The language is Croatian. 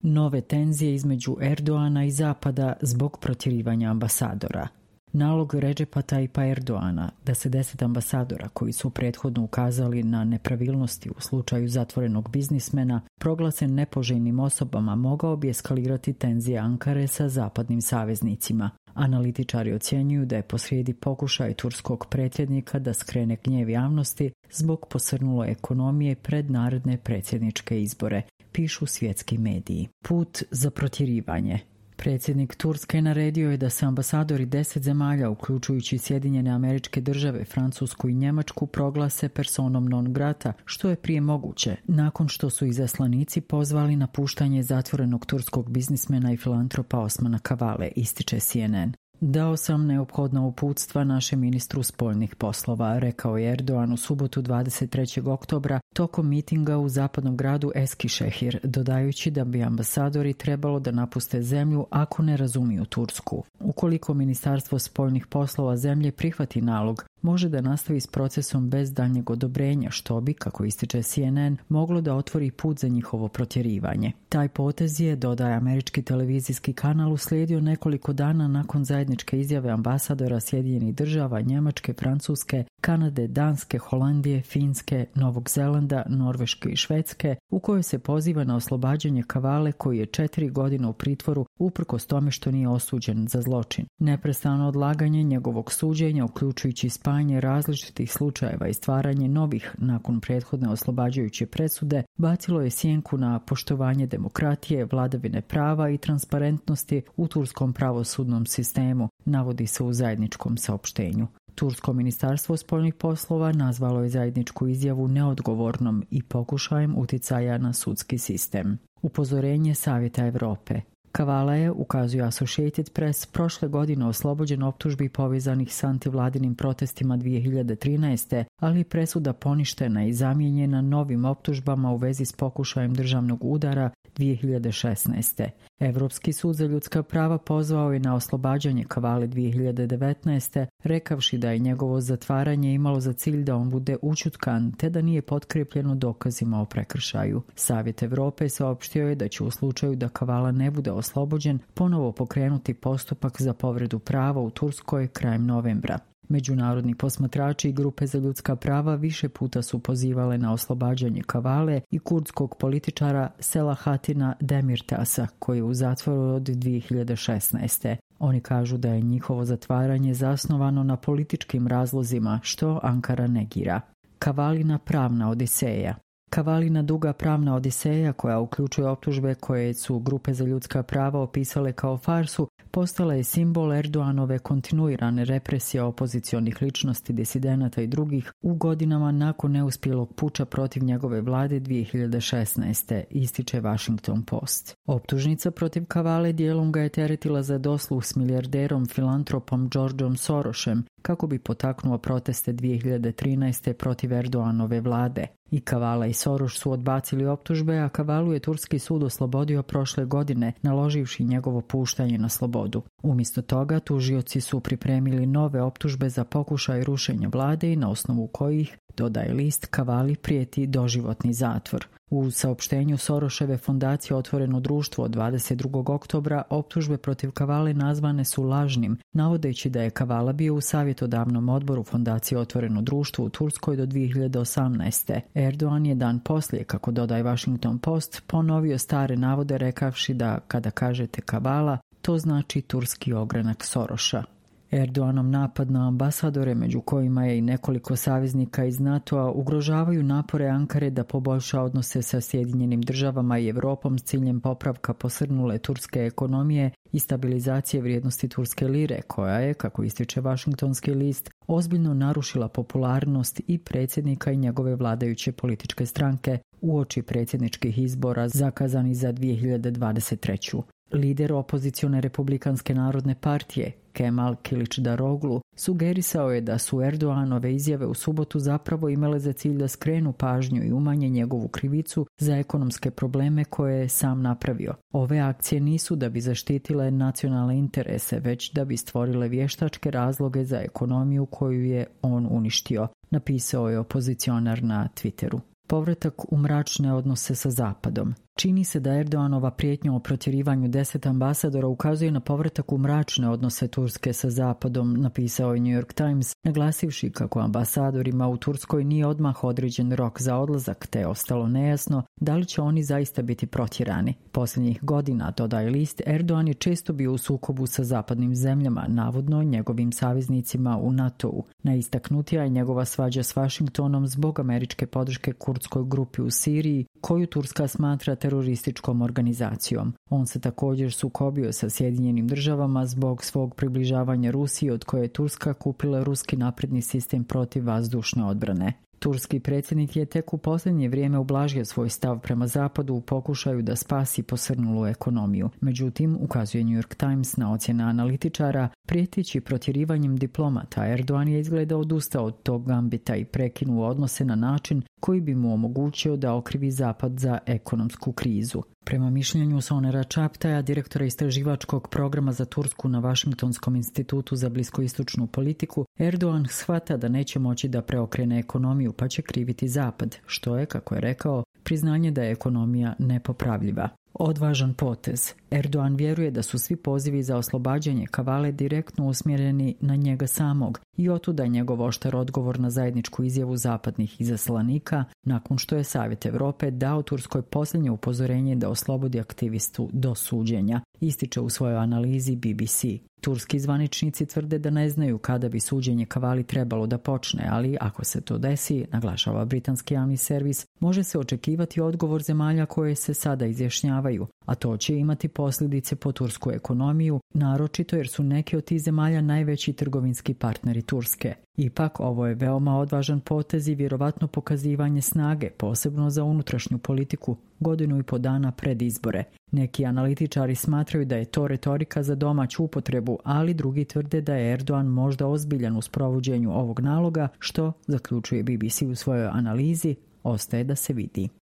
Nove tenzije između Erdoana i Zapada zbog protjerivanja ambasadora. Nalog Redžepa Tayyipa Erdoana da se 10 ambasadora koji su prethodno ukazali na nepravilnosti u slučaju zatvorenog biznismena proglase nepoželjnim osobama mogao bi eskalirati tenzije Ankare sa zapadnim saveznicima. Analitičari ocjenjuju da je posrijedi pokušaj turskog predsjednika da skrene gnjev javnosti zbog posrnule ekonomije pred naredne predsjedničke izbore, pišu svjetski mediji. Put za protjerivanje. Predsjednik Turske naredio je da se ambasadori 10 zemalja, uključujući Sjedinjene Američke Države, Francusku i Njemačku, proglase personom non grata, što je prije moguće, nakon što su izaslanici pozvali na puštanje zatvorenog turskog biznismena i filantropa Osmana Kavale, ističe CNN. Dao sam neophodna uputstva našem ministru spoljnih poslova, rekao je Erdogan u subotu 23. oktobra tokom mitinga u zapadnom gradu Eskişehir, dodajući da bi ambasadori trebalo da napuste zemlju ako ne razumiju Tursku. Ukoliko Ministarstvo spoljnih poslova zemlje prihvati nalog, može da nastavi s procesom bez daljnjeg odobrenja, što bi, kako ističe CNN, moglo da otvori put za njihovo protjerivanje. Taj potez je, dodaje američki televizijski kanal, uslijedio nekoliko dana nakon zajedničke izjave ambasadora Sjedinjenih Država, Njemačke, Francuske, Kanade, Danske, Holandije, Finske, Novog Zelanda, Norveške i Švedske, u kojoj se poziva na oslobađanje Kavale koji je 4 godine u pritvoru uprkos tome što nije osuđen za zločin. Neprestano odlaganje njegovog suđenja, uključujući spajanje različitih slučajeva i stvaranje novih nakon prethodne oslobađajuće presude, bacilo je sjenku na poštovanje demokratije, vladavine prava i transparentnosti u turskom pravosudnom sistemu, navodi se u zajedničkom saopštenju. Tursko ministarstvo spoljnih poslova nazvalo je zajedničku izjavu neodgovornom i pokušajem uticaja na sudski sistem. Upozorenje Savjeta Europe. Kavala je, ukazuje Associated Press, prošle godine oslobođen optužbi povezanih s antivladinim protestima 2013. ali presuda poništena i zamijenjena novim optužbama u vezi s pokušajem državnog udara 2016. Europski sud za ljudska prava pozvao je na oslobađanje Kavale 2019. rekavši da je njegovo zatvaranje imalo za cilj da on bude ućutkan te da nije potkrepljeno dokazima o prekršaju. Savjet Europe saopštio je da će u slučaju da Kavala ne bude oslobođen ponovo pokrenuti postupak za povredu prava u Turskoj krajem novembra. Međunarodni posmatrači i grupe za ljudska prava više puta su pozivale na oslobađanje Kavale i kurdskog političara Selahatina Demirtasa, koji je u zatvoru od 2016. Oni kažu da je njihovo zatvaranje zasnovano na političkim razlozima, što Ankara negira. Kavalina pravna odiseja. Kavalina duga pravna odiseja, koja uključuje optužbe koje su grupe za ljudska prava opisale kao farsu, postala je simbol Erdoganove kontinuirane represije opozicionih ličnosti, disidenata i drugih u godinama nakon neuspjelog puča protiv njegove vlade 2016. ističe Washington Post. Optužnica protiv Kavale dijelom ga je teretila za dosluh s milijarderom filantropom Georgeom Sorosem kako bi potaknuo proteste 2013. protiv Erdoganove vlade. I Kavala i Soros su odbacili optužbe, a Kavalu je turski sud oslobodio prošle godine, naloživši njegovo puštanje na slobodu. Umjesto toga, tužioci su pripremili nove optužbe za pokušaj rušenja vlade i na osnovu kojih, dodaje list, Kavali prijeti doživotni zatvor. U saopštenju Soroševe fondacije Otvoreno društvo od 22. oktobra optužbe protiv Kavale nazvane su lažnim, navodeći da je Kavala bio u savjetodavnom odboru fondacije Otvoreno društvo u Turskoj do 2018. Erdogan je dan poslije, kako dodaje Washington Post, ponovio stare navode rekavši da kada kažete Kavala, to znači turski ogranak Soroša. Erdoganov napad na ambasadore, među kojima je i nekoliko saveznika iz NATO-a, ugrožavaju napore Ankare da poboljša odnose sa Sjedinjenim Državama i Europom s ciljem popravka posrnule turske ekonomije i stabilizacije vrijednosti turske lire, koja je, kako ističe Washingtonski list, ozbiljno narušila popularnost i predsjednika i njegove vladajuće političke stranke uoči predsjedničkih izbora zakazani za 2023. Lider opozicione Republikanske narodne partije, Kemal Kılıçdaroğlu, sugerisao je da su Erdoganove izjave u subotu zapravo imale za cilj da skrenu pažnju i umanje njegovu krivicu za ekonomske probleme koje je sam napravio. Ove akcije nisu da bi zaštitile nacionalne interese, već da bi stvorile vještačke razloge za ekonomiju koju je on uništio, napisao je opozicionar na Twitteru. Povratak u mračne odnose sa Zapadom. Čini se da Erdoganova prijetnja o protjerivanju 10 ambasadora ukazuje na povratak u mračne odnose Turske sa Zapadom, napisao je New York Times, naglasivši kako ambasadorima u Turskoj nije odmah određen rok za odlazak, te je ostalo nejasno da li će oni zaista biti protjerani. Posljednjih godina, dodaje list, Erdogan je često bio u sukobu sa zapadnim zemljama, navodno njegovim saveznicima u NATO-u. Najistaknutija je njegova svađa s Vašingtonom zbog američke podrške kurdskoj grupi u Siriji, koju Turska smatra terorističkom organizacijom. On se također sukobio sa Sjedinjenim državama zbog svog približavanja Rusiji, od koje je Turska kupila ruski napredni sistem protivvazdušne odbrane. Turski predsjednik je tek u posljednje vrijeme ublažio svoj stav prema Zapadu u pokušaju da spasi posrnulu ekonomiju. Međutim, ukazuje New York Times na ocjene analitičara, prijeteći protjerivanjem diplomata, Erdogan je izgleda odustao od tog gambita i prekinuo odnose na način koji bi mu omogućio da okrivi Zapad za ekonomsku krizu. Prema mišljenju Sonera Čaptaja, direktora istraživačkog programa za Tursku na Washingtonskom institutu za bliskoistočnu politiku, Erdogan shvata da neće moći da preokrene ekonomiju pa će kriviti Zapad, što je, kako je rekao, priznanje da je ekonomija nepopravljiva. Odvažan potez. Erdogan vjeruje da su svi pozivi za oslobađanje Kavale direktno usmjereni na njega samog i otuda je njegov oštar odgovor na zajedničku izjavu zapadnih izaslanika nakon što je Savjet Europe dao Turskoj posljednje upozorenje da oslobodi aktivistu do suđenja, ističe u svojoj analizi BBC. Turski zvaničnici tvrde da ne znaju kada bi suđenje Kavali trebalo da počne, ali ako se to desi, naglašava britanski javni servis, može se očekivati odgovor zemalja koje se sada izjašnjavaju, a to će imati posljedice po tursku ekonomiju, naročito jer su neki od tih zemalja najveći trgovinski partneri Turske. Ipak, ovo je veoma odvažan potez i vjerovatno pokazivanje snage, posebno za unutrašnju politiku, 1.5 dana pred izbore. Neki analitičari smatraju da je to retorika za domaću upotrebu, ali drugi tvrde da je Erdogan možda ozbiljan u sprovođenju ovog naloga, što, zaključuje BBC u svojoj analizi, ostaje da se vidi.